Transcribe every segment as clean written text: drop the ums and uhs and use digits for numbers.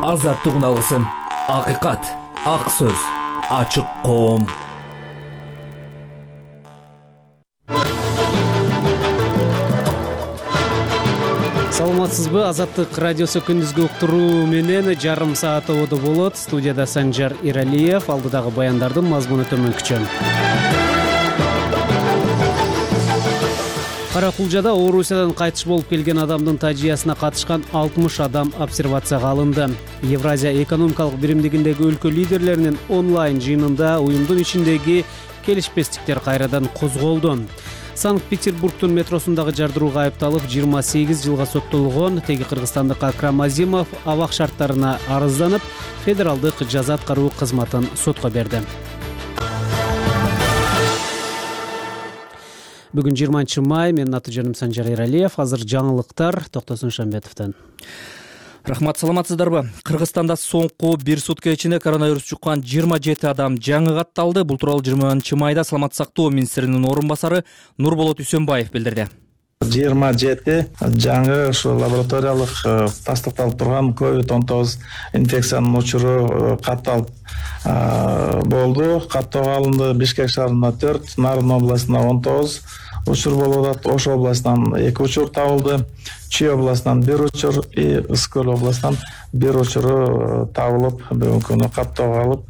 азаттык уналысын, акыйкат, ак сөз, ачык коом. Саламатсызбы? Азаттык радиосу күндүзгү уктуруу менен жарым саат ободо болот. Студияда Санжар Иралиев, алдыдагы баяндардын мазмуну төмөнкүчө. Кара-Кулжада Орусиядан кайтыш болуп келген адамдын тажыясына катышкан 60 адам обсервацияга алынды. Евразия экономикалык биримдигиндеги өлкө лидерлеринин онлайн жыйынында уюмдун ичиндеги келишпестиктер кайрадан козголду. Санкт-Петербургдун метросундагы жардырууга айыпталып 28 жылга соттолгон теги кыргызстандык Акрам Азимов абак шарттарына арызданып, федералдык жаза аткаруу кызматын сотко берди. Бүгүн 20 май, менин аты жөнүм Санжар Иралиев. Азыр жаңылыктар Токтосун Шамбетовдон. Рахмат, саламатсыздарбы? Кыргызстанда соңку бир сутка ичинде коронавирус жуккан 27 адам жаңы катталды. Бул тууралуу 20 майда Саламаттык сактоо министринин орун басары Нурболот Үсөнбаев билдирди. 27 жаңы лабораториялык тастыкталып турган COVID-19 инфекциянын учуру катталып болду. Каттоого алынды. Бишкек шаарында 4, Нарын областында 19 учур болуп атат. Ош областынан 2 учур табылды. Чүй областынан 1 учур, Ысык Көл областынан 1 учуру табылып, бүгүнкү күнү каттоого алып.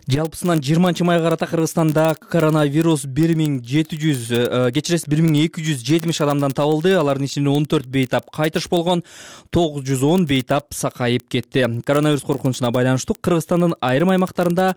Жалпысынан 20 майга карата Кыргызстанда коронавирус 1270 адамдан табылды. Алардын ичинде 14 бейтап кайтыш болгон, 910 бейтап сакайып кетти. Коронавирус коркунучуна байланыштуу Кыргызстандын айрым аймактарында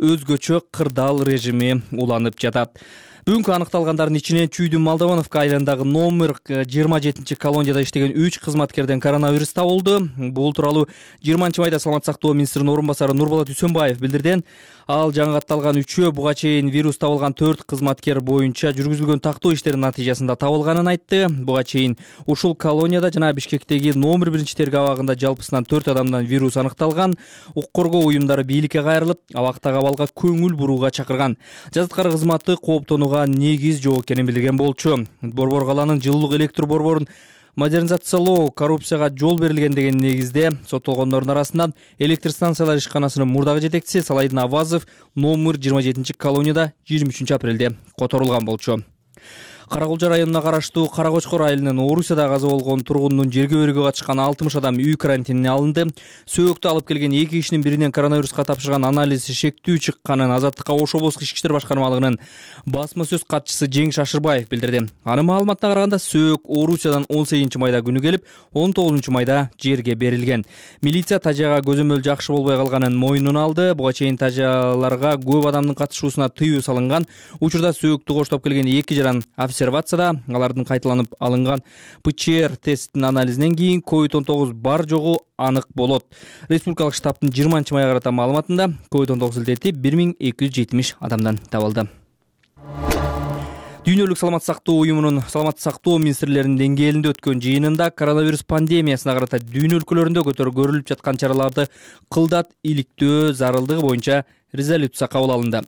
өзгөчө кырдаал режими уланып жатат. Бүгүнкү аныкталгандардын ичинен Чүйдүн Молдовановка айылындагы номер 27 колонияда иштеген 3 кызматкерден коронавирус табылды. Бул тууралуу 20 майда Саламаттык сактоо министринин орун басары Нурболот Үсөнбаев билдирди. Ал жаңы катталган 3-өө буга чейин вирус табылган 4 кызматкер боюнча жүргүзүлгөн тактоо иштеринин натыйжасында табылганын айтты. Буга чейин ушул колонияда жана Бишкектеги номер 1 терге абагында жалпысынан 4 адамдан вирус аныкталган. Укук коргоо уюмдары бийликке кайрылып, абактагы абалга көңүл бурууга чакырган. Жаза аткаруу кызматы кооптонууга негиз жок экенин билдирген болчу. Борбор калаанын жылуулук электр борборун модернизациялоо коррупцияга жол берилген деген негизде соттолгондордун арасынан электр станциялар ишканасынын мурдагы жетекчиси Салайдын Авазов номер 27 колонияда 23 апрелде которулган болчу. Кара-Кулжа районуна караштуу Кара-Кочкор айылынын Орусияда каза болгон тургундун жерге өргө катышкан 60 адам үй карантинине алынды. Сөөктү алып келген 2 кишинин биринен коронавируска тапшырган анализи шектүү чыкканын Азаттыкка Ош облустук ички иштер башкармалыгынын басма сөз катчысы Жеңиш Ашырбаев билдирди. Анын маалыматына караганда сөөк Орусиядан 18 майда күнү келип, 19 майда жерге берилген. Милиция тажыяга көзөмөл жакшы болбой калганын мойнуна алды. Буга чейин тажыяларга көп адамдын катышуусуна тыюу салынган. Учурда сөөктү коштоп келген 2 жаран обсервацияда, алардын кайталанып алынган ПЧР тесттин анализинен кийин COVID-19 бар жогу анык болот. Республикалык штабтын 20 майга карата маалыматында COVID-19 илдети 1270 адамдан табылды. Дүйнөлүк саламаттык сактоо уюмунун саламаттык сактоо министрлеринин деңгээлинде өткөн жыйынында коронавирус пандемиясына карата дүйнө өлкөлөрүндө көрүлүп жаткан чараларды кылдат иликтөө зарылдыгы боюнча резолюция кабыл алынды.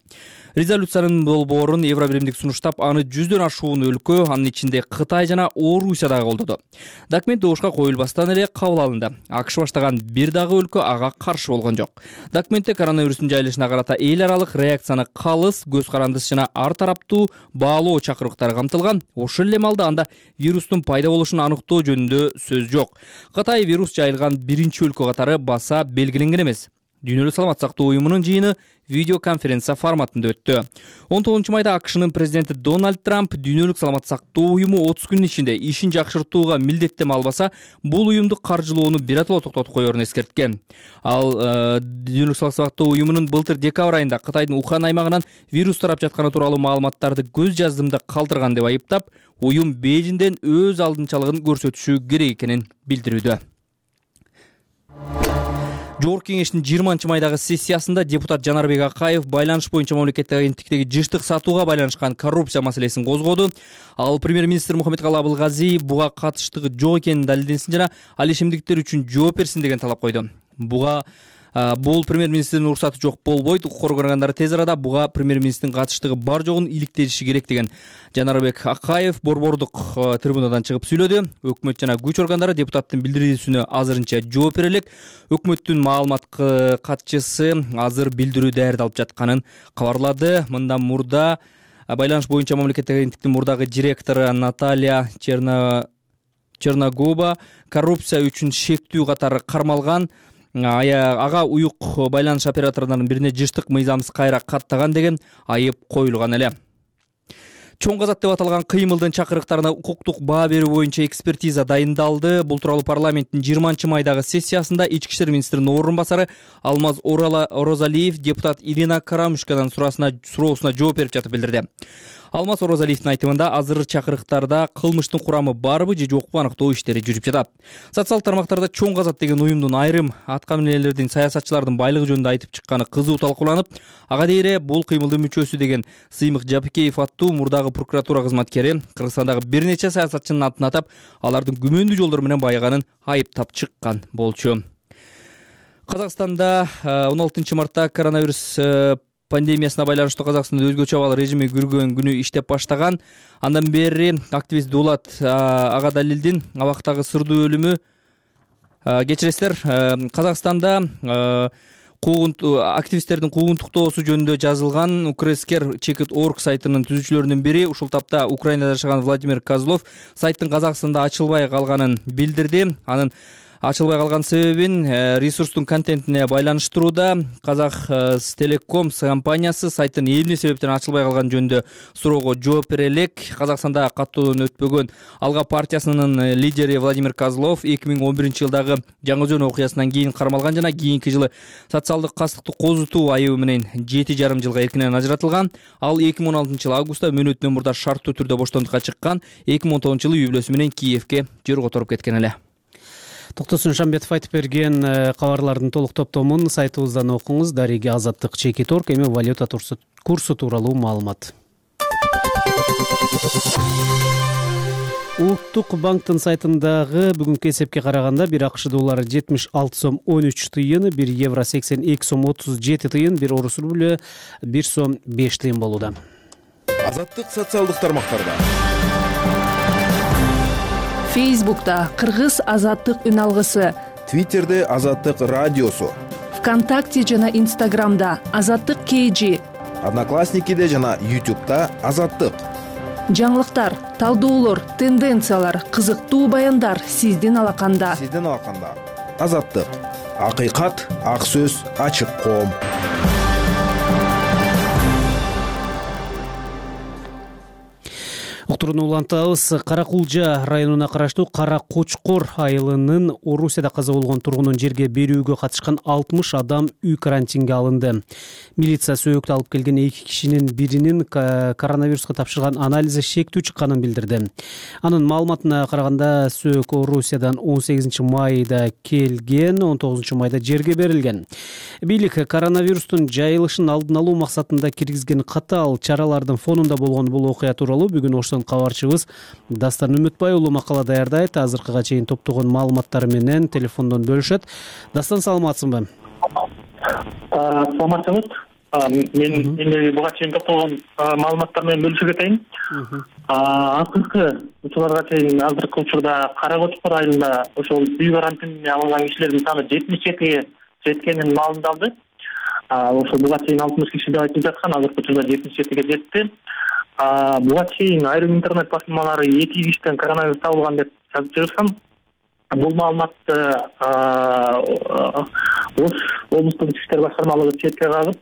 Резолюциянын долбоорун Евробиримдик сунуштап, аны 100дөн ашуун өлкө, анын ичинде Кытай жана Орусия дагы колдоду. Документ добушка коюлбастан эле кабыл алынды. АКШ баштаган бир дагы өлкө ага каршы болгон жок. Документте коронавирустун жайылышына карата эл аралык реакцияны калыс, көз карандысыз жана ар тараптуу баалоо чакырыктары камтылган. Ошол эле маалда анда вирустун пайда болушун аныктоо жөнүндө сөз жок. Кытай вирус жайылган биринчи өлкө катары баса белгиленген эмес. Дүйнөлүк саламаттык сактоо уюмунун жыйыны видеоконференция форматында өттү. 19 майда АКШнын президенти Дональд Трамп дүйнөлүк саламаттык сактоо уюму 30 күн ичинде ишин жакшыртууга милдеттеме албаса, бул уюмду каржылоону биротоло токтотуп коерун эскерткен. Ал дүйнөлүк саламаттык сактоо уюмунун былтыр декабрь айында Кытайдын Ухань аймагынан вирус тарап жатканы тууралуу маалыматтарды көз жаздымда калтырган деп айыптап, уюм Бейжиңден өз алдынчалыгын көрсөтүшү керек экенин билдирүүдө. Жогорку кеңештин 20 майдагы сессиясында депутат Жанарбек Акаев байланыш боюнча мамлекеттик агенттиктеги жыштык сатууга байланышкан коррупция маселесин козгоду. Ал премьер-министр Мухаммедкалый Абылгазиев буга катыштыгы жок экенин далилденсин жана ал ишемдиктер үчүн жооп берсин деген талап койду. Буга Бул премьер-министрдин уруксаты жок болбойт. Укук органдары тез арада буга премьер-министрдин катыштыгы бар жогун иликтеши керек деген Жанарбек Акаев борбордук трибунадан чыгып сүйлөдү. Өкмөт жана күч органдары депутаттын билдирүүсүнө азырынча жооп бере элек. Өкмөттүн маалымат катчысы азыр билдирүү даярдалып жатканын кабарлады. Мындан мурда байланыш боюнча мамлекеттик агенттиктин мурдагы директору Наталья Черногуба коррупция үчүн шектүү катары кармалган. Ага уюк байланыш операторлорунун бирине жыштык мыйзамсыз кайра каттаган деген айып коюлган эле. Чоң казат деп аталган кыймылдын чакырыктарына укуктук баа берүү боюнча экспертиза дайындалды. Бул тууралуу парламенттин 20-майдагы сессиясында ички иштер министринин орун басары Алмаз Орозалиев депутат Ирина Карамушкадан суроосуна жооп берип жатып билдирди. Алмаз Орозалиевдин айтымында азыр чакырыктарда кылмыштын курамы барбы же жокпу аныктоо иштери жүрүп жатат. Социалдык тармактарда Чоң казат деген уюмдун айрым аткаминерлердин, саясатчылардын байлыгы жөнүндө айтып чыкканы кызуу талкууланып, ага дейре бул кыймылдын мүчөсү деген Сыймык Жапикеев аттуу мурдагы прокуратура кызматкери Кыргызстандагы бир нече саясатчынын атын атап, алардын күмөндүү жолдор менен байыганын айыптап чыккан болчу. Казакстанда 16-мартта коронавирус пандемиясына байланыштуу Казакстанда өзгөчө абал режими күргөн күнү иштеп баштаган. Андан бери активист Дулат Агадалилдин абактагы сырдуу өлүмү, кечиресиздер, Казакстанда активисттердин куугунтуктоосу жөнүндө жазылган Ukrasker.org сайтынын түзүүчүлөрүнүн бири ушул тапта Украинада жашаган Владимир Козлов сайттын Казакстанда ачылбай калганын билдирди. Анын ачылбай калган себебин ресурстун контентине байланыштырууда. Казахстелеком компаниясы сайттын эмне себептен ачылбай калган жөнүндө суроого жооп бере элек. Казакстанда каттоодон өтпөгөн Алга партиясынын лидери Владимир Козлов 2011-жылдагы Жаңы Өзөн окуясынан кийин кармалган жана кийинки жылы социалдык кастыкты козутуу айыбы менен 7,5 жылга эркинен ажыратылган. Ал 2016-жылы августта мөөнөтүнөн мурда шарттуу түрдө боштондукка чыккан. 2019-жылы үй бүлөсү менен Киевке жер которуп кеткен эле. Токтосун Шамбетов айтып берген кабарлардын толук топтомун сайтыбыздан окуңуз. Дареги Азаттык Чекиторг, эми валюта курсу тууралуу маалымат. Улуттук банктын сайтындагы бүгүнкү эсепке караганда 1 АКШ доллары 76 сом 13 тыйын, 1 евро 82 сом 37 тыйын, 1 орус рублю 1 сом 5 тыйын болууда. Азаттык социалдык тармактарда. Фейсбукта Кыргыз Азаттык үн алгысы, Твиттерде Азаттык радиосу, ВКонтакте жана Инстаграмда Азаттык KG, Одноклассникиде жана YouTube'да Азаттык. жаңылыктар, талдоолор, тенденциялар, кызыктуу баяндар сиздин алаканда. Азаттык. Акыйкат, ак сөз, ачык коом. Уктурууну улантабыз. Каракулжа районуна караштуу Кара Кочкор айылынын Орусияда каза болгон тургунун жерге берүүгө катышкан 60 адам үй карантинге алынды. Милиция сөөктү алып келген 2 кишинин биринин коронавируска тапшырган анализи шектүү чыкканын билдирди. Анын маалыматына караганда сөөк Орусиядан 18-майда келген, 19-майда жерге берилген. Бийлик коронавирустун жайылышын алдын алуу максатында киргизген катаал чаралардын фонунда болгон бул окуя тууралуу бүгүн кабарчыбыз Дастан Үмүтбай уулу макала даярдайт. Азыркыга чейин топтогон маалыматтары менен телефондон бөлүшөт. Дастан, саламатсыңбы? Саламатсыңыз. Мен буга чейин топтогон маалыматтар менен бөлүшүп кетейин. Акыркы учурларга чейин азыркы учурда Кара Кочкор айылында ошол үй карантинине алынган кишилердин саны 77-ге жеткенин маалымдалды. Ошол буга чейин 60 киши деп айтылып жаткан, азыркы учурда 77-ге жетти. Буга чейин айрым интернет басылмалары 2 кишиден коронавирус табылган деп жазып жүргөн. Бул маалыматты Ош облустук ички иштер башкармалыгы четке кагып,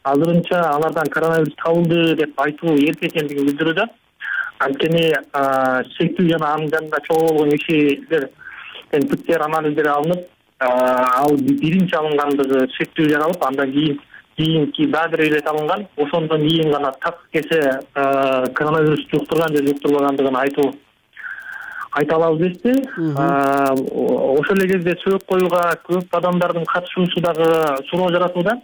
азырынча алардан коронавирус табылды деп айтуу эрте экендигин билдирүүдө. Анткени шектүү жана анын жанында чогуу болгон кишилерден ПЦР анализдери алынып, ал биринчи алынгандыгы шектүү жаралып, андан кийинки дагы бир ирет алынган. Ошондон кийин гана так кесе коронавирус жуктурган же жуктурбагандыгын айта алабыз дешти. Ошол эле кезде сөөк коюуга көп адамдардын катышуусу дагы суроо жаратууда.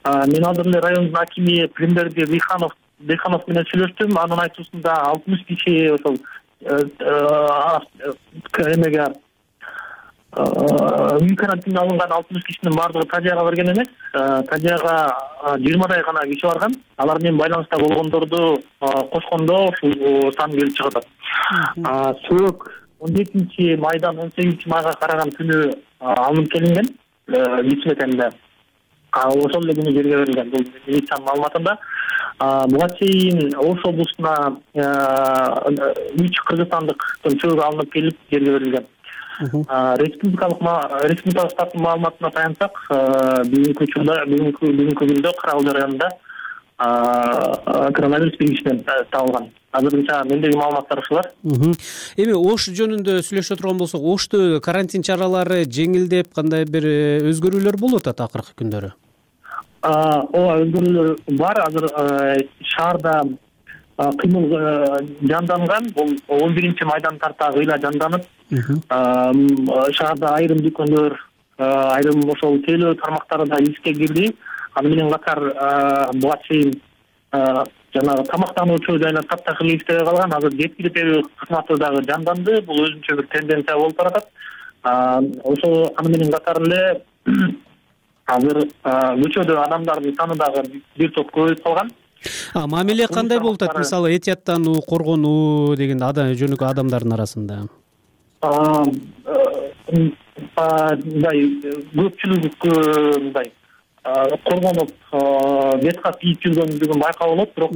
Мен азыр эле райондун акими Премберди Дыйханов менен сүйлөштүм. Анын айтуусунда 60 киши ошол эмеге үй карантинине алынган 60 кишинин баардыгы Тажияга барген эмес. Тажияга 20дай гана киши барган. Алар менен байланыста болгондорду кошкондо ушул сан келип чыгып атат. Сөөк 17 майдан 18 майга караган күнү алынып келинген кисметенде. Ошол эле күнү жерге берилген. Бул милициянын маалыматында. Буга чейин Ош облусуна 3 кыргызстандыктын сөөгү алынып келип жерге берилген. Республикалык штабтын маалыматына таянсак, бүгүнкү күндө Карагыл районунда коронавирус белгисинен табылган. Азырынча мендеги маалыматтар ушулар. Эми Ош жөнүндө сүйлөшө турган болсок, Ошто карантин чаралары жеңилдеп, кандай бир өзгөрүүлөр болуп атат акыркы күндөрү? Ооба, өзгөрүүлөр бар. Азыр шаарда кыймыл жанданган. Бул 11 майдан тарта кыйла жанданып, шаарда айрым дүкөндөр, айрым ошол тейлөө тармактары да иске кирди. Аны менен катар буга чейин жанагы тамактануучу жайлар таптакыр иштебей калган. Азыр жеткиликтүү кызматы дагы жанданды. Бул өзүнчө бир тенденция болуп баратат. Ошол аны менен катар эле азыр көчөдө адамдардын саны дагы бир топ көбөйүп калган. Мамиле кандай болуп атат? Мисалы, этияттануу, коргонуу деген жөнүкөй адамдардын арасында? Мындай көпчүлүгү мындай коргонуп бет кат кийип жүргөндүгүн байкалып болот, бирок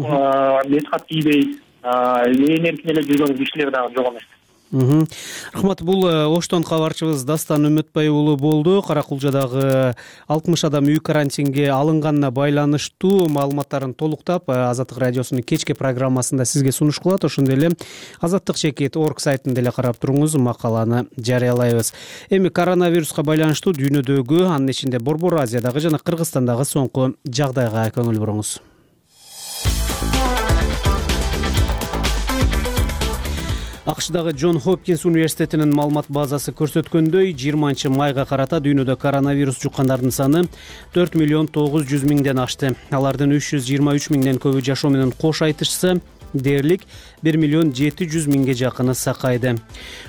бет кат кийбей ээн эркин эле жүргөн кишилер дагы жок эмес. Рахмат. Бул Оштон кабарчыбыз Дастан Үмүтбай уулу болду. Каракулжадагы 60 адам үй карантинге алынганына байланыштуу маалыматтарын толуктап, Азаттык радиосунун кечки программасында сизге сунуш кылат. Ошондой эле azattik.org сайтында эле карап туруңуз, макаланы жарыялайбыз. Эми коронавируска байланыштуу дүйнөдөгү, анын ичинде Борбор Азиядагы жана Кыргызстандагы соңку жагдайга көңүл буруңуз. АКШдагы Джон Хопкинс университетинин маалымат базасы көрсөткөндөй, 20 майга карата дүйнөдө коронавирус жуккандардын саны 4 миллион 900 миңден ашты. Алардын 323 миңден көбү жашоо менен кош айтышса, дээрлик 1 миллион 700 миңге жакыны сакайды.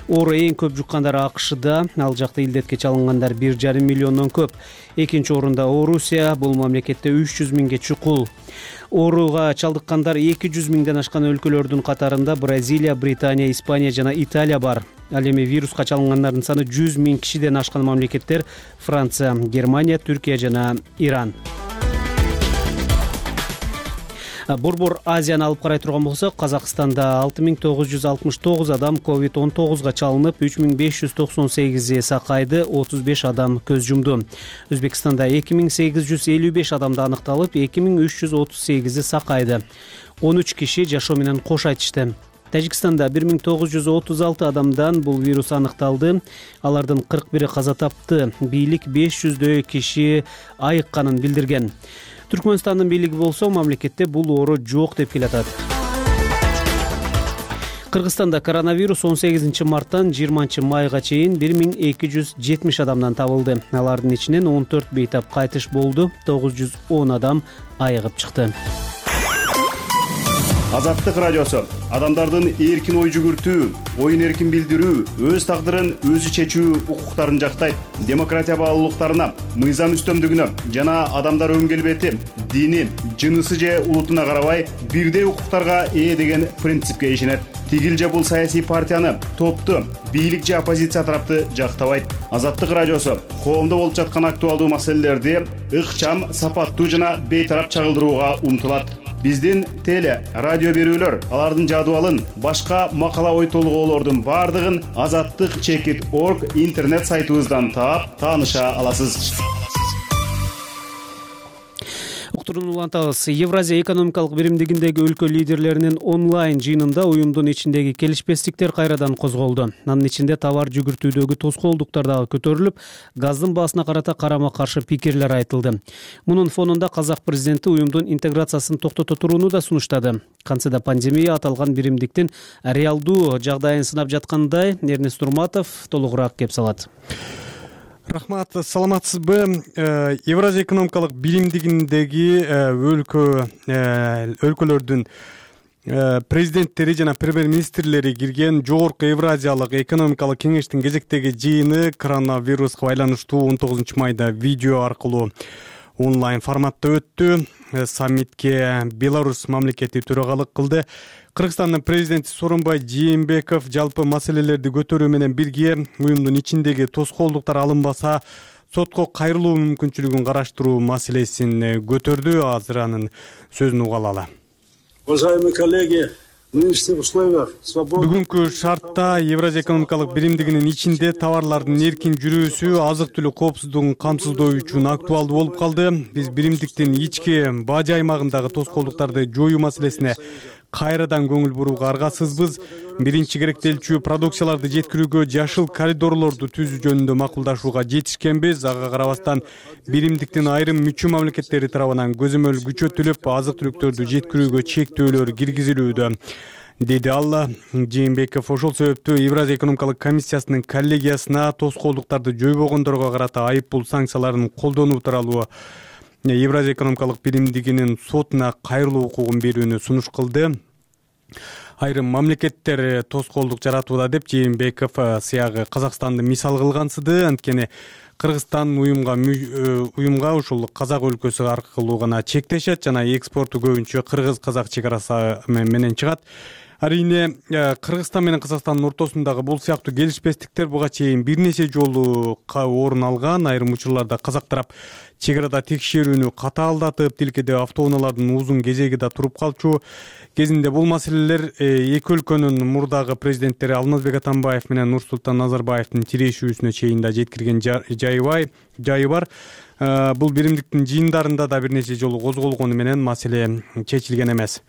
Оору эң көп жуккандар АКШда, ал жакта илдетке чалынгандар 1,5 миллиондон көп. Экинчи орунда Орусия, бул мамлекетте 300 миңге чукул. Ооруга чалдыккандар 200 миңден ашкан өлкөлөрдүн катарында Бразилия, Британия, Испания жана Италия бар. Ал эми вируска чалынгандардын саны 100 миң кишиден ашкан мамлекеттер Франция, Германия, Түркия жана Иран. Борбор Азияны алып карай турган болсок, Казакстанда 6969 адам COVID-19 чалынып, 3598 сакайды, 35 адам көз жумду. Өзбекстанда 2855 адамды аныкталып, 2338 сакайды. 13 киши жашоо менен кош айтышты. Тажикстанда 1936 адамдан бул вирус аныкталды. Алардын 41 каза тапты. Бийлик 500дөй киши айыкканын билдирген. Түркмөнстандын бийлиги болсо, мамлекетте бул оору жок деп келатат. Кыргызстанда коронавирус 18 марттан 20 майга чейин 1270 адамдан табылды. Алардын ичинен 14 бейтап кайтыш болду, 910 адам айыгып чыкты. Азаттык радиосу адамдардын эркин ой жүгүртүү, оюн эркин билдирүү, өз тагдырын өзү чечүү укуктарын жактайт. Демократия баалуулуктарына, мыйзам үстөмдүгүнө жана адамдар өн келбети, дини, жынысы же улутуна карабай бирдей укуктарга ээ деген принципке ишенет. Тигил же бул саясий партияны, топту, бийлик же оппозиция тарапты жактабайт. Азаттык радиосу коомдо болуп жаткан актуалдуу маселелерди ыкчам, сапаттуу жана бейтарап чагылдырууга умтулат. Биздин теле, радио берүүлөр, алардын жадыбалын, башка макала ой толгоолордун бардыгын azattik.org интернет сайтыбыздан таап, тааныша аласыз. Уктурууну улантабыз. Евразия экономикалык биримдигиндеги өлкө лидерлеринин онлайн жыйынында уюмдун ичиндеги келишпестиктер кайрадан козголду. Анын ичинде товар жүгүртүүдөгү тоскоолдуктар дагы көтөрүлүп, газдын баасына карата карама-каршы пикирлер айтылды. Мунун фонунда казак президенти уюмдун интеграциясын токтото турууну да сунуштады. Кантсе да пандемия аталган биримдиктин реалдуу жагдайын сынап жаткандай, Эрнест Турматов толугураак кеп салат. Рахмат, саламатсызбы? Евразия экономикалык биримдигиндеги өлкөлөрдүн президенттери жана премьер-министрлери кирген Жогорку Евразиялык экономикалык кеңештин кезектеги жыйыны коронавируска байланыштуу 19 майда видео аркылуу онлайн форматта өттү. Саммитке Беларусь мамлекети төрагалык кылды. Кыргызстандын президенти Сооронбай Жээнбеков жалпы маселелерди көтөрүү менен бирге уюмдун ичиндеги тоскоолдуктар алынбаса сотко кайрылуу мүмкүнчүлүгүн караштыруу маселесин көтөрдү. Азыр анын сөзүн уга алалы. Уважаемые коллеги, в нынешних условиях свободы... Бүгүнкү шартта Евразия экономикалык биримдигинин ичинде товарлардын эркин жүрүүсү азык-түлүк коопсуздугун камсыздоо үчүн актуалдуу болуп калды. Биз биримдиктин ички бажы аймагындагы тоскоолдуктарды жоюу маселесине кайрадан көңүл бурууга аргасызбыз. Биринчи керектелчү продукцияларды жеткирүүгө жашыл коридорлорду түзүү жөнүндө макулдашууга жетишкенбиз. Ага карабастан биримдиктин айрым мүчө мамлекеттери тарабынан көзөмөл күчөтүлүп, азык-түлүктөрдү жеткирүүгө чектөөлөр киргизилүүдө, деди ал. Жээнбеков ошол себептүү Евразия экономикалык комиссиясынын коллегиясына тоскоолдуктарды жойбогондорго карата айыппул санкцияларын колдонуу тууралуу Евразия экономикалык биримдигинин сотуна кайрылуу укугун берүүнү сунуш кылды. Айрым мамлекеттер тоскоолдук жаратууда деп Жээнбеков сыягы Казакстанды мисал кылгансыды. Анткени Кыргызстан уюмга ушул Казак өлкөсү аркылуу гана чектешет жана экспорту көбүнчө кыргыз-казак чек арасы менен чыгат. Арийне Кыргызстан менен Казакстандын ортосундагы бул сыяктуу келишпестиктер буга чейин бир нече жолу орун алган. Айрым учурларда казак тарап чек арада текшерүүнү катаалдатып, тилкеде автоунаалардын узун кезеги да туруп калчу. Кезинде бул маселелер эки өлкөнүн мурдагы президенттери Алмазбек Атамбаев менен Нурсултан Назарбаевдин тирешүүсүнө чейин да жеткирген жайы бар. Бул биримдиктин жыйындарында да бир нече жолу козголгону менен маселе чечилген эмес.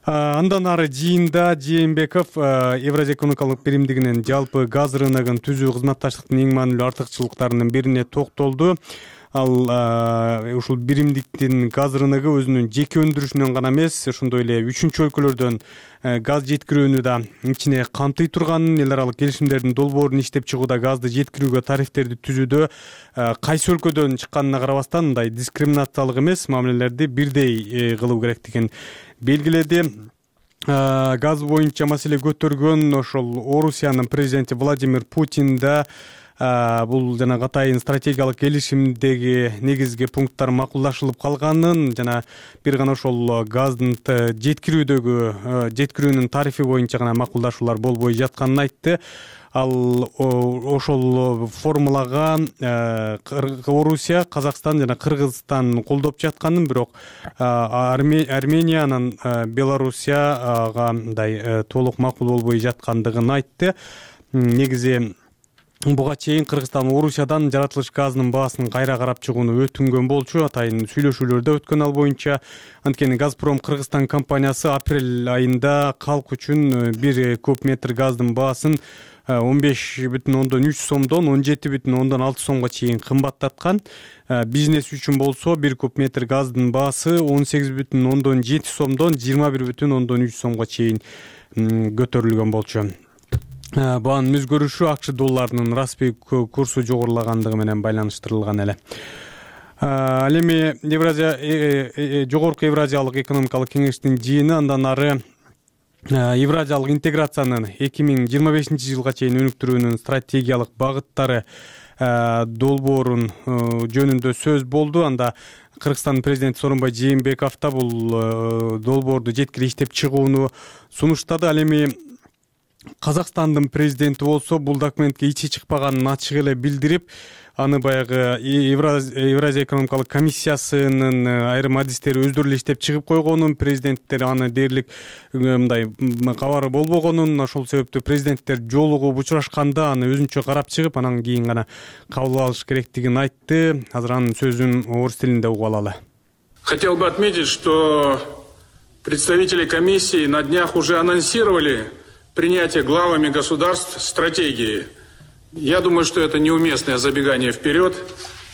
Андан ары жыйында Жээнбеков Евразия экономикалык биримдигинин жалпы газ рыногун түзүү кызматташтыктын эң маанилүү артыкчылыктарынын бирине токтолду. Ал ушул биримдиктин газ рыногу өзүнүн жеке өндүрүшүнөн гана эмес, ошондой эле үчүнчү өлкөлөрдөн газ жеткирүүнү да ичине камтый турганын, эл аралык келишимдердин долбоорун иштеп чыгууда газды жеткирүүгө тарифтерди түзүүдө кайсы өлкөдөн чыкканына карабастан мындай дискриминациялык эмес мамилелерди бирдей кылуу керектигин белгиледи. Газ боюнча маселе көтөргөн ошол Орусиянын президенти Владимир Путин да бул жана Катайдын стратегиялык келишимдеги негизги пункттар макулдашылып калганын жана бир гана ошол газдын жеткирүүнүн тарифи боюнча гана макулдашуулар болбой жатканын айтты. Ал ошол формулага Орусия, Казакстан жана Кыргызстан колдоп жатканын, бирок Армения анан Белоруссияга мындай толук макул болбой жаткандыгын айтты. Негизи буга чейин Кыргызстан Орусиядан жаратылыш газынын баасын кайра карап чыгууну өтүнгөн болчу. Атайын сүйлөшүүлөрдө өткөн ал боюнча. Анткени Газпром Кыргызстан компаниясы апрель айында калк үчүн 1 куб метр газдын баасын 15,3 сомдон 17,6 сомго чейин кымбаттаткан. Бизнес үчүн болсо 1 куб метр газдын баасы 18,7 сомдон 21,3 сомго чейин көтөрүлгөн болчу. Баанын өзгөрүшү акч долларынын расмий курсу жогорулагандыгы менен байланыштырылган эле. Ал эми Жогорку Евразиялык экономикалык кеңештин жыйыны андан ары Евразиялык интеграциянын 2025 жылга чейин өнүктүрүүнүн стратегиялык багыттары долбоорун жөнүндө сөз болду. Анда Кыргызстан президенти Сооронбай Жээнбеков да бул долбоорду жеткирип иштеп чыгууну сунуштады. Ал эми Казакстандын президенти болсо бул документке ичи чыкпаганын ачык эле билдирип, аны баягы Евразия экономикалык комиссиясынын айрым адистери өздөрү эле иштеп чыгып койгонун, президенттер аны дээрлик мындай кабары болбогонун, ошол себептүү президенттер жолугуп учурашканда аны өзүнчө карап чыгып, анан кийин гана кабыл алыш керектигин айтты. Азыр анын сөзүн орус тилинде угуп алалы. Хотел бы отметить, что представители комиссии на днях уже анонсировали принятие главами государств стратегии. Я думаю, что это неуместное забегание вперед.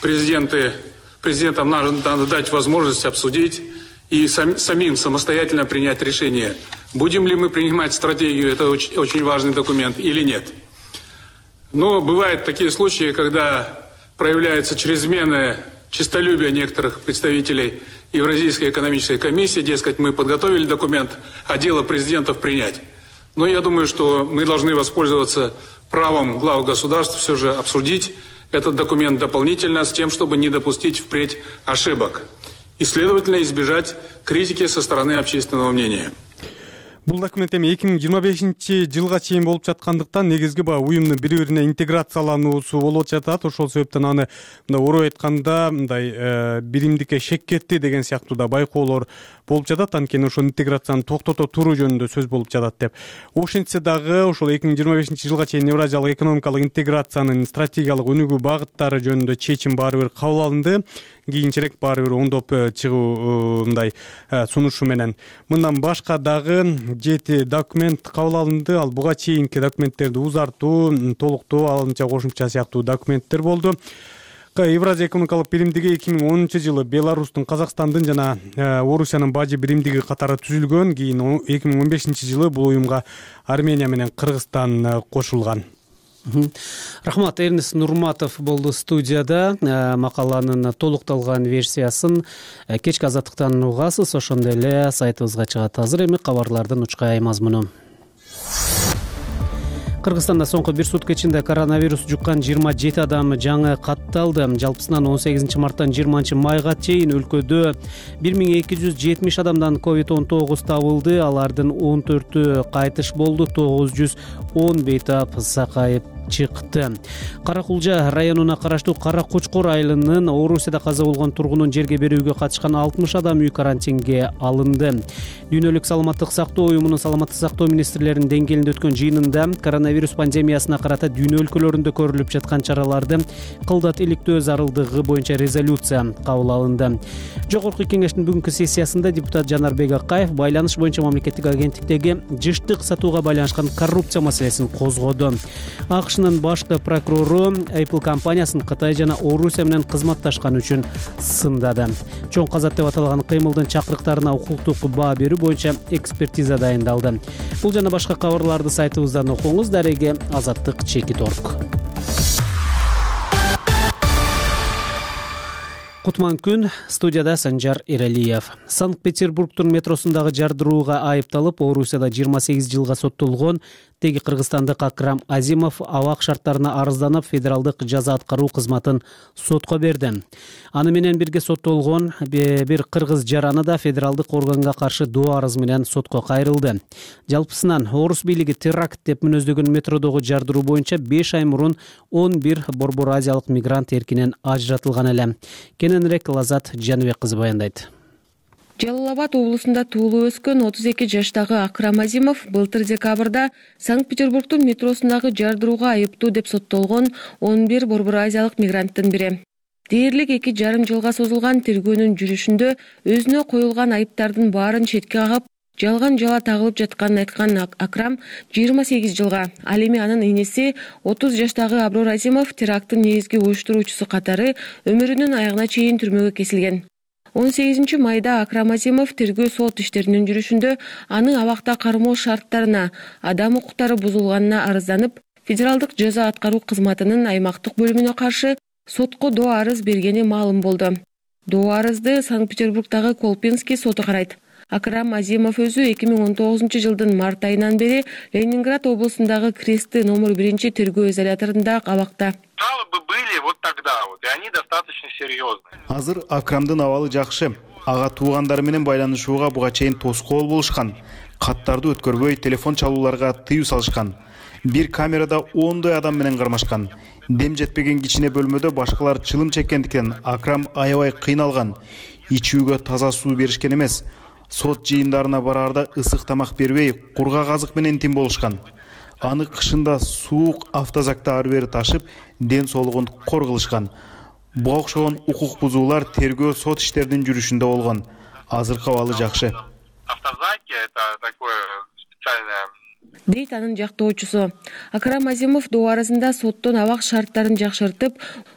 Президентам надо дать возможность обсудить и самим самостоятельно принять решение, будем ли мы принимать стратегию, это очень важный документ, или нет. Но бывают такие случаи, когда проявляется чрезмерное честолюбие некоторых представителей Евразийской экономической комиссии, дескать, мы подготовили документ, а дело президентов принять. Но я думаю, что мы должны воспользоваться правом глав государств все же обсудить этот документ дополнительно с тем, чтобы не допустить впредь ошибок и, следовательно, избежать критики со стороны общественного мнения. Бул документ эми 2025 жылга чейин болуп жаткандыктан негизги баягы уюмдун бири бирине интеграциялануусу болуп жатат. Ошол себептен аны мындай орой айтканда мындай биримдикке шек кетти деген сыяктуу да байкоолор болуп жатат. Анткени ошол интеграцияны токтото туруу жөнүндө сөз болуп жатат деп. Ошентсе дагы ошол 2025 жылга чейин Евразиялык экономикалык интеграциянын стратегиялык өнүгүү багыттары жөнүндө чечим баары бир кабыл алынды. Кийинчерээк баары бир оңдоп чыгуу мындай сунушу менен. Мындан башка дагы 7 документ кабыл алынды. Ал буга чейинки документтерди узартуу, толуктоо, алынча кошумча сыяктуу документтер болду. Евразия экономикалык биримдиги 2010-жылы Беларустун, Казакстандын жана Орусиянын бажы биримдиги катары түзүлгөн. Кийин 2015-жылы бул уюмга Армения менен Кыргызстан кошулган. Рахмат. Эрнест Нурматов болду студияда. Макаланын толукталган версиясын кечки Азаттыктан угасыз. Ошондой эле сайтыбызга чыгат азыр. Эми кабарлардын учкай мазмуну. Кыргызстанда соңку бир сутка ичинде коронавирус жуккан 27 адам жаңы катталды. Жалпысынан 18 марттан 20 майга чейин өлкөдө 1270 адамдан COVID-19 табылды. Алардын 14-ü кайтыш болду. 910 бейтап сакайып чыкты. Каракулжа районуна караштуу Кара Кочкор айылынын Орусияда каза болгон тургунун жерге берүүгө катышкан 60 адам үй карантинге алынды. Дүйнөлүк саламаттык сактоо уюмунун саламаттык сактоо министрлеринин деңгээлинде өткөн жыйынында коронавирус пандемиясына карата дүйнө өлкөлөрүндө көрүлүп жаткан чараларды кылдат иликтөө зарылдыгы боюнча резолюция кабыл алынды. Жогорку кеңештин бүгүнкү сессиясында депутат Жанарбек Акаев байланыш боюнча мамлекеттик агенттиктеги жыштык сатууга байланышкан коррупция маселесин козгоду. АКШнын башкы прокурору Apple компаниясын Кытай жана Орусия менен кызматташкан үчүн сындады. Чоң казат деп аталган кыймылдын чакырыктарына укуктук баа берүү боюнча экспертиза дайындалды. Бул жана башка кабарларды сайтыбыздан окуңуз. Дареге Азаттык Чекит.орг. Кутман күн, студияда Санжар Иралиев. Санкт-Петербургтун метросундагы жардырууга айыпталып, Орусияда 28 жылга соттолгон теги кыргызстандык Акрам Азимов абак шарттарына арызданып, федералдык жаза аткаруу кызматын сотко берди. Аны менен бирге соттолгон бир кыргыз жараны да федералдык органга каршы доо арыз менен сотко кайрылды. Жалпысынан орус бийлиги теракт деп мүнөздөгөн метродогу жардыруу боюнча 5 ай мурун 11 борбор азиялык мигрант эркинен ажыратылган эле. Кененирээк Лазат Жаныбек кызы баяндайт. Жалал Абад облусунда туулуп өскөн 32 жаштагы Акрам Азимов былтыр декабрда Санкт-Петербургтун метросундагы жардырууга айыптуу деп соттолгон 11 борбор азиялык мигранттын бири. Дээрлик 2,5 жылга созулган тергөөнүн жүрүшүндө өзүнө коюлган айыптардын баарын четке кагып, жалган жала тагылып жатканын айткан Акрам 28 жылга, ал эми анын энеси 30 жаштагы Аброр Азимов теракттын негизги уюштуруучусу катары өмүрүнүн аягына чейин түрмөгө кесилген. 18 майда Акрам Азимов тергөө сот иштеринин жүрүшүндө аны абакта кармоо шарттарына, адам укуктары бузулганына арызданып, федералдык жаза аткаруу кызматынын аймактык бөлүмүнө каршы сотко доо арыз бергени маалым болду. Доо арызды Санкт-Петербургдагы Колпинский соту карайт. Акрам Азимов өзү 2019 жылдын март айынан бери Ленинград облусундагы Кресты номер 1 тергөө изоляторунда абакта. Жалобы были вот тогда, и они достаточно серьезные. Азыр Акрамдын абалы жакшы. Ага туугандары менен байланышууга буга чейин тоскоол болушкан. Каттарды өткөрбөй, телефон чалууларга тыюу салышкан. Бир камерада 10 адам менен кармашкан. Дем жетпеген кичине бөлмөдө башкалар чылым чеккендиктен Акрам аябай кыйналган. Ичүүгө таза суу беришкен эмес. Сот жыйындарына бараарда ысык тамак бербей, кургак азык менен тим болушкан. Аны кышында суук автозакта ары бери ташып, ден соолугун кор кылышкан. Буга окшогон укук бузуулар тергөө сот иштеринин жүрүшүндө болгон. Азыркы абалы жакшы. Автозаки — это такое специальное. Дейт анын жактоочусу. Акрам Азимов доо арызында соттон абак шарттарын жакшыртып,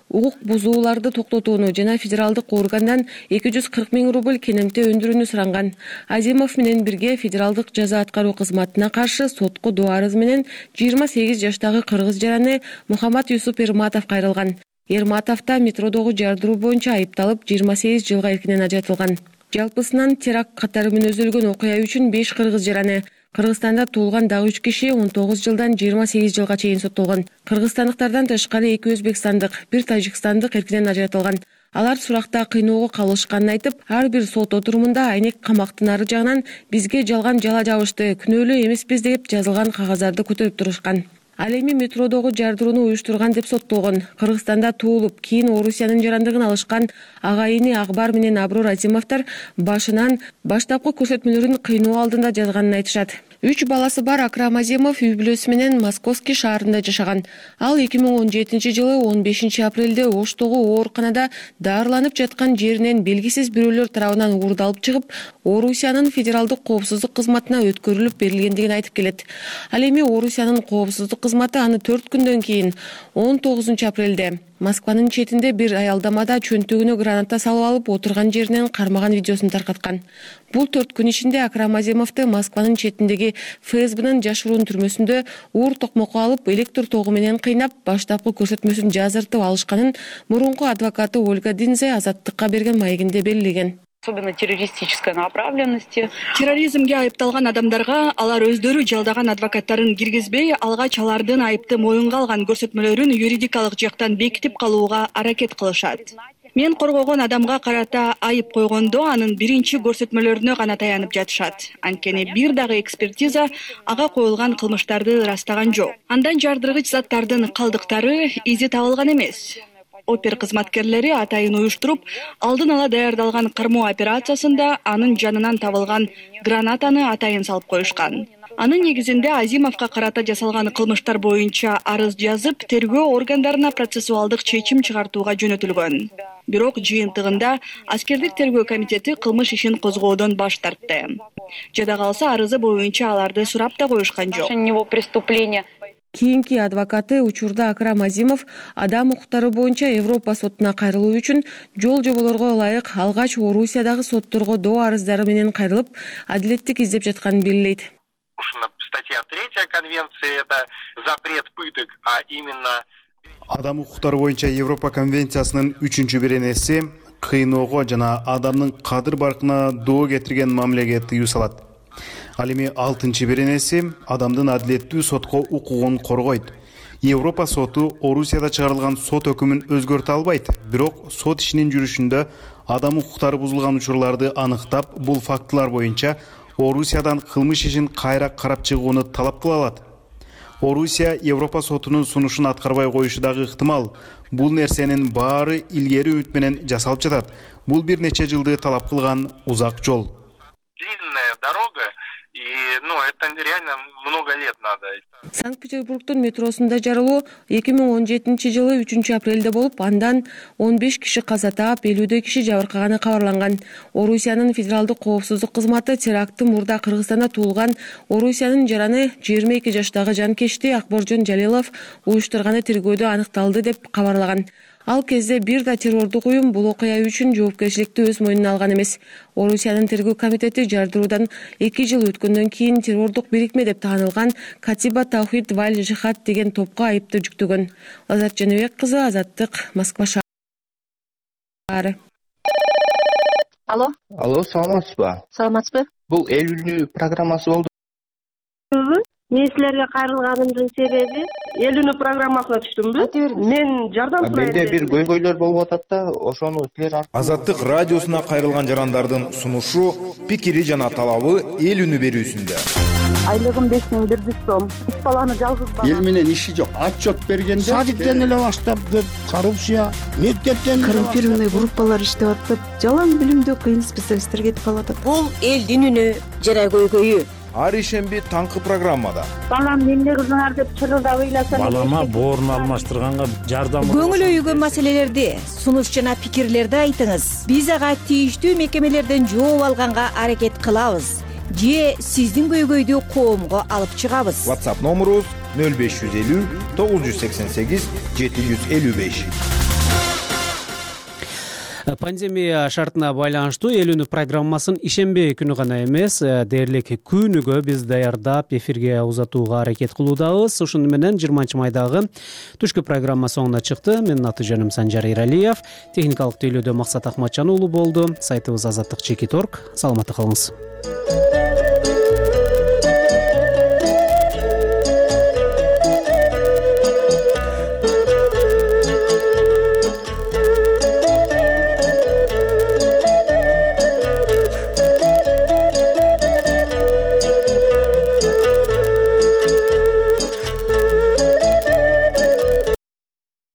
укук бузууларды токтотууну жана федералдык органдан 240 000 рубль кенемте өндүрүүнү суранган. Азимов менен бирге федералдык жаза аткаруу кызматына каршы сотко доо арыз менен 28 жаштагы кыргыз жараны Мухаммад Юсуп Эрматов кайрылган. Эрматов да метродогу жардыруу боюнча айыпталып 28 жылга эркинен ажыратылган. Жалпысынан теракт катары мүнөздөлгөн окуя үчүн 5 кыргыз жараны, Кыргызстанда туулган дагы 3 киши 19 жылдан 28 жылга чейин соттолгон. Кыргызстандыктардан тышкары 2 өзбекстандык, 1 тажикстандык эркинен ажыратылган. Алар суракта кыйноого калышканын айтып, ар бир сот отурумунда айнек камактын ары жагынан бизге жалган жала жабышты, күнөөлүү эмеспиз деп жазылган кагаздарды көтөрүп турушкан. Ал эми метродогу жардырууну уюштурган деп соттолгон. Кыргызстанда туулуп, кийин Орусиянын жарандыгын алышкан агайыны Акбар менен Аброр Азимовдор башынан баштапкы көрсөтмөлөрүн кыйноо алдында жазганын айтышат. 3 баласы бар Акрам Азимов үй бүлөсү менен Московский шаарында жашаган. Ал 2017 жылы 15 апрелде Оштогу ооруканада дарыланып жаткан жеринен белгисиз бирөөлөр тарабынан уурдалып чыгып, Орусиянын федералдык коопсуздук кызматына өткөрүлүп берилгендигин айтып келет. Ал эми Орусиянын коопсуздук кызматы аны 4 күндөн кийин 19 апрелде Москванын четинде бир аялдамада чөнтөгүнө граната салып алып отурган жеринен кармаган видеосун таркаткан. Бул 4 күн ичинде Акрам Азимовду Москванын четиндеги ФСБнын жашыруун түрмөсүндө уур токмокко алып, электр тогу менен кыйнап, баштапкы көрсөтмөсүн жазыртып алышканын мурунку адвокаты Ольга Динзе Азаттыкка берген маегинде белгилеген. Особенно террористической направленности. Терроризмге айыпталган адамдарга алар өздөрү жалдаган адвокаттарын киргизбей, алгач алардын айыпты моюнга алган көрсөтмөлөрүн юридикалык жактан бекитип калууга аракет кылышат. Мен коргогон адамга карата айып койгондо анын биринчи көрсөтмөлөрүнө гана таянып жатышат. Анткени бир дагы экспертиза ага коюлган кылмыштарды ырастаган жок. Андан жардыргыч заттардын калдыктары изи табылган эмес. Опер кызматкерлери атайын уюштуруп, алдын ала даярдалган кармоо операциясында анын жанынан табылган гранатаны атайын салып коюшкан. Анын негизинде Азимовго карата жасалган кылмыштар боюнча арыз жазып, тергөө органдарына процессуалдык чечим чыгартууга жөнөтүлгөн. Бирок жыйынтыгында аскердик тергөө комитети кылмыш ишин козгоодон баш тартты. Жада калса арызы боюнча аларды сурап да коюшкан жок. Кийинки адвокаты учурда Акрам Азимов адам укуктары боюнча Европа сотуна кайрылуу үчүн жол жоболорго ылайык алгач Орусиядагы сотторго доо арыздары менен кайрылып, адилеттик издеп жатканын белгилейт. Статья 3 конвенции — это запрет пыток, а именно Адам укуктары боюнча Европа конвенциясынын 3-беренеси кыйноого жана адамдын кадыр баркына доо кетирген мамилеге тыюу салат. Ал эми 6-беренеси адамдын адилеттүү сотко укугун коргойт. Европа соту Орусияда чыгарылган сот өкүмүн өзгөртө албайт, бирок сот ишинин жүрүшүндө адам укуктары бузулган учурларды аныктап, бул фактылар боюнча Орусиядан кылмыш ишин кайра карап чыгууну талап кыла алат. Орусия Европа сотунун сунушун аткарбай коюшу дагы ыктымал. Бул нерсенин баары илгери үмүт менен жасалып жатат. Бул бир нече жылды талап кылган узак жол. длинная дорога, и, это реально много лет надо. Санкт-Петербургдун метросунда жарылуу 2017 жылы 3 апрелде болуп, андан 15 киши каза таап, 50 киши жабыркаганы кабарланган. Орусиянын федералдык коопсуздук кызматы теракты мурда Кыргызстанда туулган Орусиянын жараны 22 жаштагы жанкечти Акборжон Жалилов уюштурганы тергөөдө аныкталды деп кабарлаган. Ал кезде бир да террордук уюм бул окуя үчүн жоопкерчиликти өз мойнуна алган эмес. Орусиянын тергөө комитети жардыруудан 2 жыл өткөндөн кийин террордук бирикме деп таанылган Катиба Таухид Валь Жихад деген топко айыпты жүктөгөн. Азат Жаныбек кызы, Азаттык, Москва шаары. Алло, саламатсызбы? Саламатсызбы? Бул эл үнү программасы болду. Мен силерге кайрылганымдын себеби эл үнү программасына түштүмбү? Мен жардам сурайм. Менде бир көйгөйлөр болуп атат да, ошону силер Азаттык радиосуна кайрылган жарандардын сунушу, пикири жана талабы эл үнү берүүсүндө. Айлыгым 5100 сом. 3 баланы жалгыз бала. Эл менен иши жок. Отчет бергенде садиктен эле баштапты, коррупция, мектептен коррумпированный группалар иштеп атып, жалаң билимдүү кыйын специалисттер кетип калат. Бул элдин үнү жана көйгөйү. Ар ишемби таңкы программада. Балам эмне кылдыңар деп чырылдап ыйласам. Балама боорун алмаштырганга жардам. Көңүл өйгөн маселелерди, сунуш жана пикирлерди айтыңыз. Биз ага тийиштүү мекемелерден жооп алганга аракет кылабыз. Же сиздин көйгөйдү коомго алып чыгабыз. WhatsApp номерубуз 0550 988 755. Пандемия шартына байланыштуу эл үнү программасын ишемби күнү гана эмес, дээрлик күнүгө биз даярдап эфирге узатууга аракет кылуудабыз. Ушуну менен 20-майдагы түшкү программа соңуна чыкты. Менин аты жөнүм Санжар Эралиев. Техникалык тейлөөдө Максат Акматжан уулу болду. Сайтыбыз азаттык.org. Саламатта калыңыз.